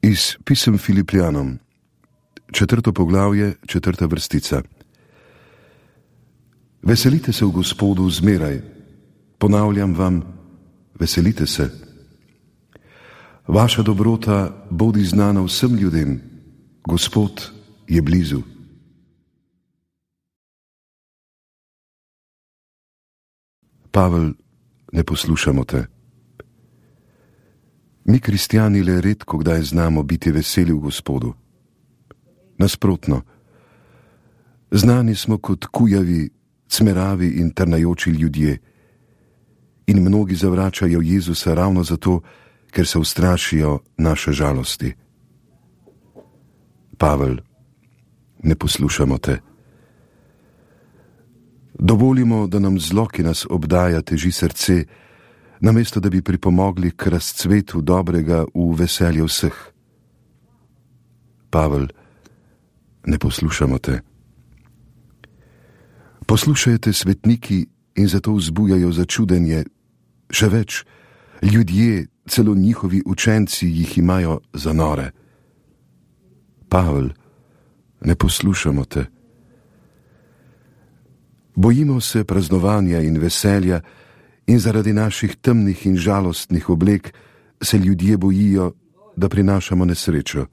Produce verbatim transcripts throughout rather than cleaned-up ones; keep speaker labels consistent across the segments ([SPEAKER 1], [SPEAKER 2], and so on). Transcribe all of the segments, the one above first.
[SPEAKER 1] Iz pisem Filipljanom, četrto poglavje, četrta vrstica. Veselite se v Gospodu zmeraj, ponavljam vam, veselite se. Vaša dobrota bodi znana vsem ljudem, Gospod je blizu. Pavel, ne poslušamo te. Mi, kristjani, le redko kdaj znamo biti veseli v Gospodu. Nasprotno, znani smo kot kujavi, cmeravi in trnajoči ljudje in mnogi zavračajo Jezusa ravno zato, ker se ustrašijo naše žalosti. Pavel, ne poslušamo te. Dovolimo, da nam zlo, ki nas obdaja, teži srce, namesto da bi pripomogli k razcvetu dobrega v veselje vseh. Pavel, ne poslušamo te. Poslušajte svetniki in zato vzbujajo začudenje, še več, ljudje, celo njihovi učenci jih imajo za nore. Pavel, ne poslušamo te. Bojimo se praznovanja in veselja in zaradi naših temnih in žalostnih oblek se ljudje bojijo, da prinašamo nesrečo.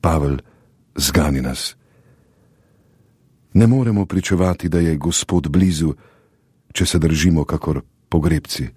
[SPEAKER 1] Pavel, zgani nas. Ne moremo pričevati, da je Gospod blizu, če se držimo kakor pogrebci.